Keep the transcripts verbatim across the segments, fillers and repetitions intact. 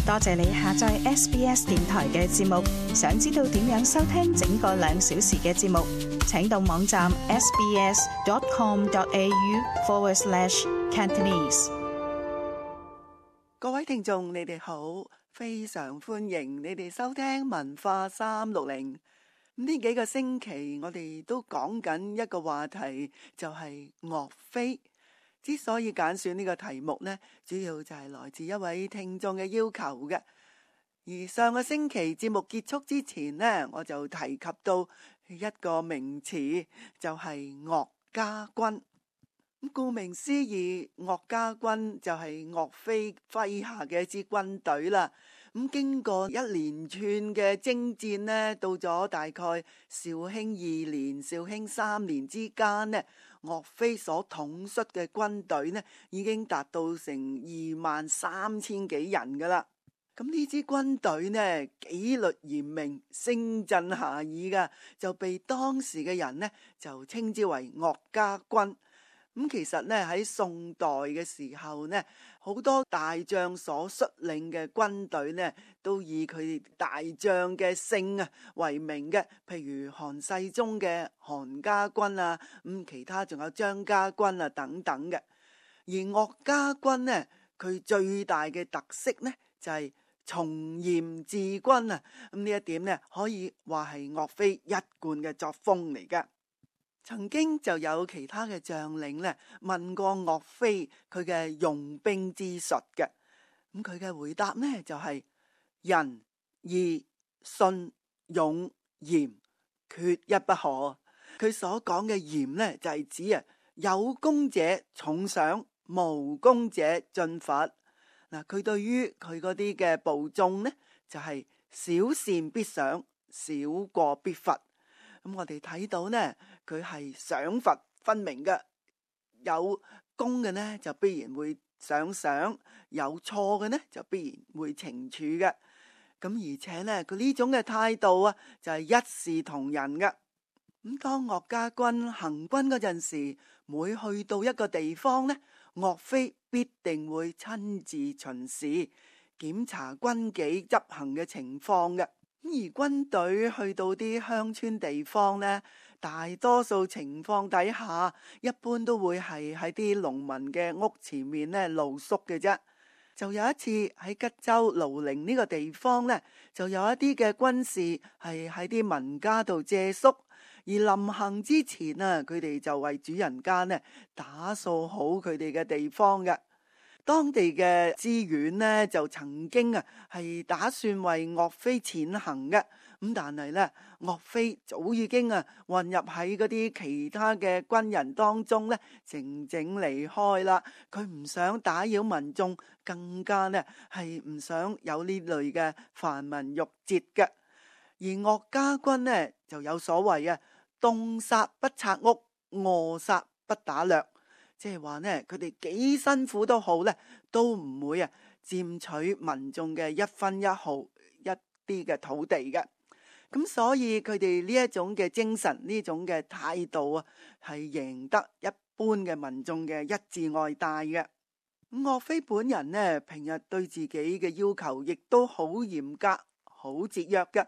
多謝你下載 S B S 電台嘅節目。想知道點樣收聽整個兩小時嘅節目，請到網站 sbs.com.au forward slash Cantonese。各位聽眾，你哋好，非常歡迎你哋收聽文化三六零。呢幾個星期我哋都講緊一個話題，就係岳飛。之所以揀選呢個題目呢，主要就係來自一位聽眾嘅要求嘅。而上個星期節目結束之前呢，我就提及到一個名詞，就係岳家軍。咁顧名思義，岳家軍就係岳飛麾下嘅一支軍隊啦。咁經過一連串嘅征戰呢，到咗大概紹興二年、紹興三年之間呢，岳飛所統率嘅軍隊呢，已經達到成二萬三千幾人噶啦。咁呢支軍隊呢，紀律嚴明，聲震遐邇噶，就被當時嘅人呢就稱之為岳家軍。咁其實呢，喺宋代嘅時候呢，好多大將所率領嘅軍隊呢，都以佢大將嘅姓啊為名嘅，譬如韓世忠嘅韓家軍啊，咁其他仲有張家軍啊等等嘅。而岳家軍呢，佢最大嘅特色呢，就係從嚴治軍啊，咁呢一點呢，可以話係岳飛一貫嘅作風嚟㗎。曾經就有其他嘅將領咧問過岳飛佢嘅用兵之術嘅，咁佢嘅回答呢就係、是、仁義信勇嚴缺一不可。佢所講嘅嚴呢就係、是、指啊有功者重賞，無功者進罰。嗱，佢對於佢嗰啲嘅部眾呢就係、是、小善必賞，小過必罰。咁我哋睇到呢，佢係賞罰分明嘅，有功嘅呢就必然會賞賞，有錯嘅呢就必然會懲處嘅。咁而且呢，佢呢種嘅態度啊，就係一視同仁嘅。咁當岳家軍行軍嗰陣時，每去到一個地方呢，岳飛必定會親自巡視，檢查軍紀執行嘅情況嘅。而軍隊去到啲鄉村地方呢，大多數情況底下，一般都會係喺啲農民嘅屋前面呢露宿嘅啫。就有一次喺吉州瀘寧呢個地方呢，就有一啲嘅軍士係喺啲民家度借宿，而臨行之前啊，佢哋就為主人家呢打掃好佢哋嘅地方嘅。當地嘅知縣呢，就曾經啊係打算為岳飛踐行嘅，咁但係呢，岳飛早已經啊混入喺嗰啲其他嘅軍人當中呢，靜靜離開啦。佢唔想打擾民眾，更加呢係唔想有呢類嘅繁文縟節嘅。而岳家軍呢就有所謂啊，凍殺不拆屋，餓殺不打掠。即係話呢，佢哋幾辛苦都好呢，都唔會啊佔取民眾嘅一分一毫一啲嘅土地嘅。咁所以佢哋呢一種嘅精神，呢種嘅態度啊，係贏得一般嘅民眾嘅一致愛戴嘅。咁岳飛本人呢，平日對自己嘅要求亦都好嚴格、好節約嘅。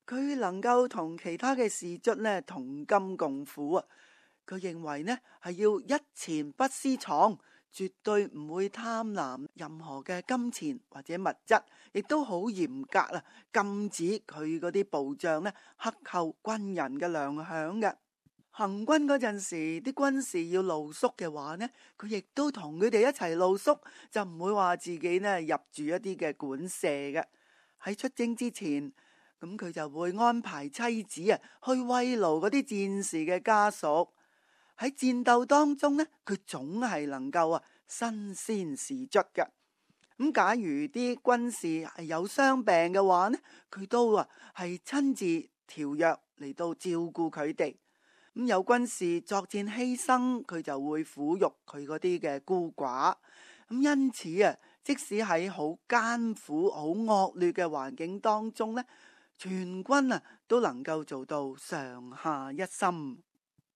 佢能夠同其他嘅士卒呢同甘共苦啊。佢認為呢係要一錢不私藏，絕對唔會貪婪任何嘅金錢或者物質，亦都好嚴格啦，禁止佢嗰啲部將呢克扣軍人嘅糧餉嘅。行軍嗰陣時，啲軍士要露宿嘅話呢，佢亦都同佢哋一齊露宿，就唔會話自己呢入住一啲嘅館舍嘅。喺出征之前，咁佢就會安排妻子啊去慰勞嗰啲戰士嘅家屬。喺戰鬥當中呢，佢總係能夠啊身先士卒嘅。咁假如啲軍士係有傷病嘅話呢，佢都啊係親自調藥嚟到照顧佢哋。咁有軍士作戰犧牲，佢就會撫育佢嗰啲嘅孤寡。咁因此啊，即使喺好艱苦、好惡劣嘅環境當中呢，全軍啊都能夠做到上下一心。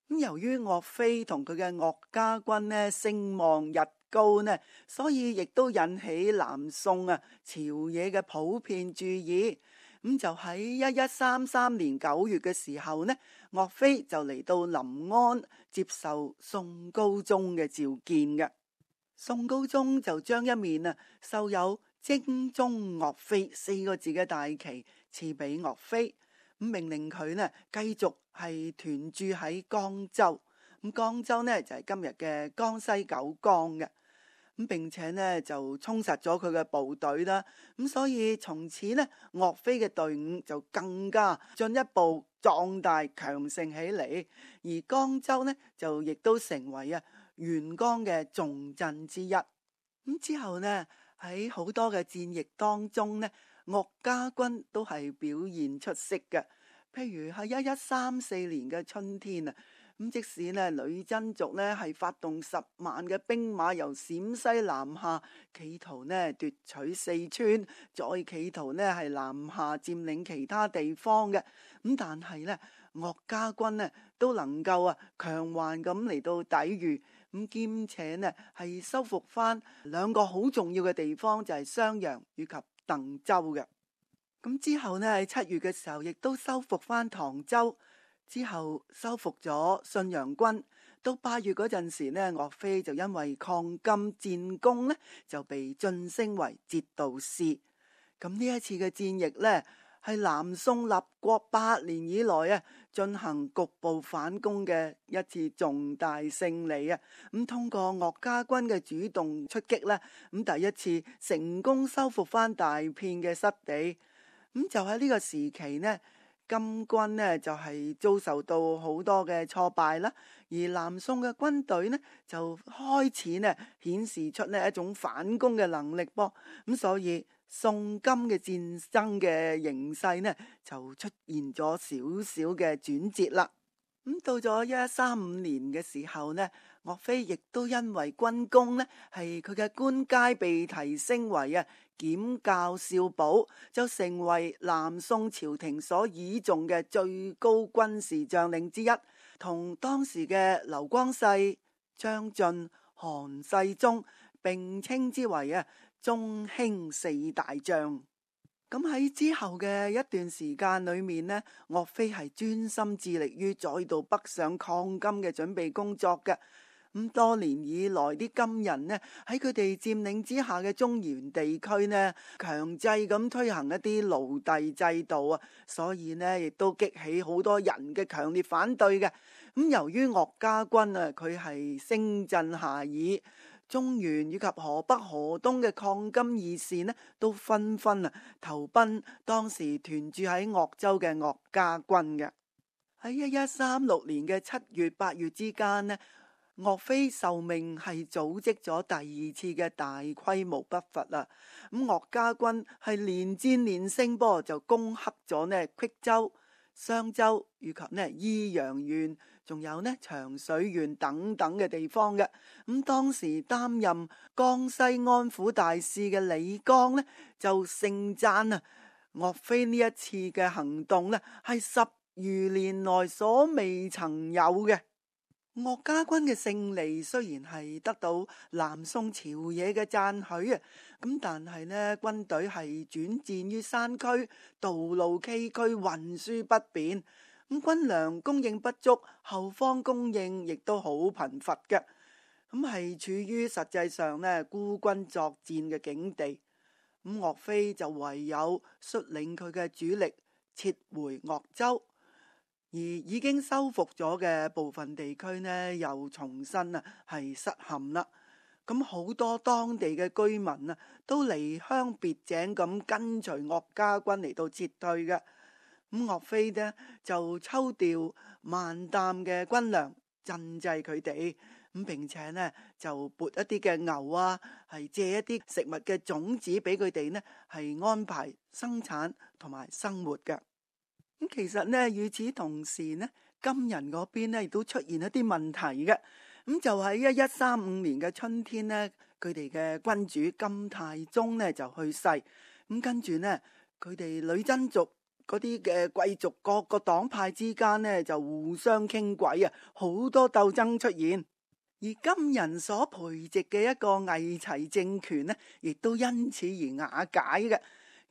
咁由於岳飛同佢嘅岳家軍呢聲望日高呢，所以亦都引起南宋啊朝野嘅普遍注意。咁就喺一一三三年九月嘅時候呢，岳飛就嚟到臨安接受宋高宗嘅召見嘅。宋高宗就將一面啊繡有征中岳飛四個字嘅大旗賜俾岳飛，咁命令佢呢繼續係屯駐喺江州。咁江州呢就係今日嘅江西九江嘅。咁並且呢就充實咗佢嘅部隊啦，咁所以從此呢岳飛嘅隊伍就更加進一步壯大強盛起嚟，而江州呢就亦都成為啊沿江嘅重鎮之一。咁之後呢喺好多嘅戰役當中呢，岳家軍都係表現出色嘅，譬如喺一一三四年嘅春天啊。咁即使呢女真族呢係發動十萬嘅兵馬由陝西南下，企圖呢奪取四川，再企圖呢係南下佔領其他地方嘅，咁但係呢岳家軍呢都能夠啊強橫咁嚟到抵禦，咁兼且呢係收復翻兩個好重要嘅地方，就係襄陽以及鄧州嘅。咁之後呢喺七月嘅時候，亦都收復翻唐州。之後收復咗信陽軍，到八月嗰陣時呢，岳飛就因為抗金戰功呢，就被晉升為節度使。咁呢一次嘅戰役呢，係南宋立國八年以來啊，進行局部反攻嘅一次重大勝利啊！咁通過岳家軍嘅主動出擊呢，咁第一次成功收復翻大片嘅失地。咁就喺呢個時期呢，金軍呢就係遭受到好多嘅挫敗啦，而南宋嘅軍隊呢就開始呢顯示出呢一種反攻嘅能力噃，咁所以宋金嘅戰爭嘅形勢呢就出現咗少少嘅轉折啦。咁到咗一一三五年嘅時候呢，岳飛亦都因為軍功呢係佢嘅官階被提升為啊檢校少保，就成為南宋朝廷所倚重嘅最高軍事將領之一，同當時嘅劉光世、張晉、韓世忠並稱之為啊中興四大將。咁喺之後嘅一段時間裏面呢，岳飛係專心致力於再度北上抗金嘅準備工作嘅。咁多年以來，啲金人呢喺佢哋佔領之下嘅中原地區呢，強制咁推行一啲奴隸制度啊，所以呢亦都激起好多人嘅強烈反對嘅。咁由於岳家軍啊，佢係聲震下邑，中原以及河北、河東嘅抗金義士呢，都紛紛啊投奔當時屯駐喺鄂州嘅岳家軍嘅。喺一一三六年嘅七月、八月之間呢，岳飛受命係組織咗第二次嘅大規模北伐啦。咁岳家軍係連戰連勝噃，就攻克咗呢郴州、襄州以及呢益陽縣，仲有呢長水縣等等嘅地方嘅。咁當時擔任江西安撫大使嘅李綱呢，就盛讚啊岳飛呢一次嘅行動呢係十餘年來所未曾有嘅。岳家軍嘅勝利雖然係得到南宋朝野嘅讚許啊，咁但係呢軍隊係轉戰於山區，道路崎嶇，運輸不便，咁軍糧供應不足，後方供應亦都好貧乏嘅，咁係處於實際上呢孤軍作戰嘅境地。咁岳飛就唯有率領佢嘅主力撤回鄂州。而已經收復咗嘅部分地區呢，又重新啊係失陷啦。咁好多當地嘅居民啊，都離鄉別井咁跟隨岳家軍嚟到撤退嘅。咁岳飛呢就抽調萬擔嘅軍糧賑濟佢哋，咁並且呢就撥一啲嘅牛啊，係借一啲食物嘅種子俾佢哋呢，係安排生產同埋生活嘅。咁其實呢，與此同時呢，金人嗰邊呢亦都出現一啲問題嘅。咁就喺一一三五年嘅春天呢，佢哋嘅君主金太宗呢就去世。咁跟住呢，佢哋女真族嗰啲嘅貴族各個黨派之間呢就互相傾軌啊，好多鬥爭出現。而金人所培植嘅一個偽齊政權呢，亦都因此而瓦解嘅。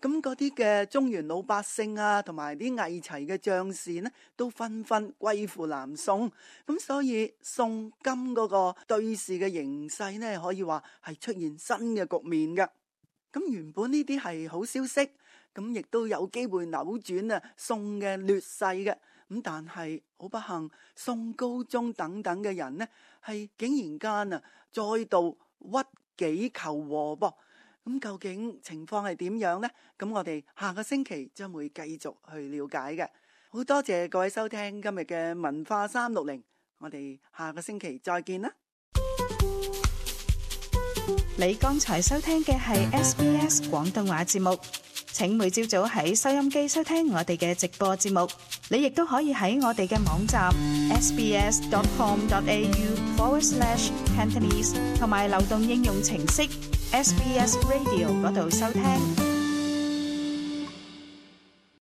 咁嗰啲嘅中原老百姓啊，同埋啲偽齊嘅將士呢，都紛紛歸附南宋。咁所以宋金嗰個對峙嘅形勢呢，可以話係出現新嘅局面嘅。咁原本呢啲係好消息，咁亦都有機會扭轉啊宋嘅劣勢嘅。咁但係好不幸，宋高宗等等嘅人呢，係竟然間啊再度屈己求和噃。咁究竟情況係點樣呢？咁我哋下個星期將會繼續去了解嘅。好多謝各位收聽今日嘅文化三六零，我哋下個星期再見啦。你剛才收聽嘅係 S B S 廣東話節目，請每朝早喺收音機收聽我哋嘅直播節目。你亦都可以喺我哋嘅網站 sbs.com.au forward slash Cantonese 同埋流動應用程式 S B S Radio 嗰度收聽。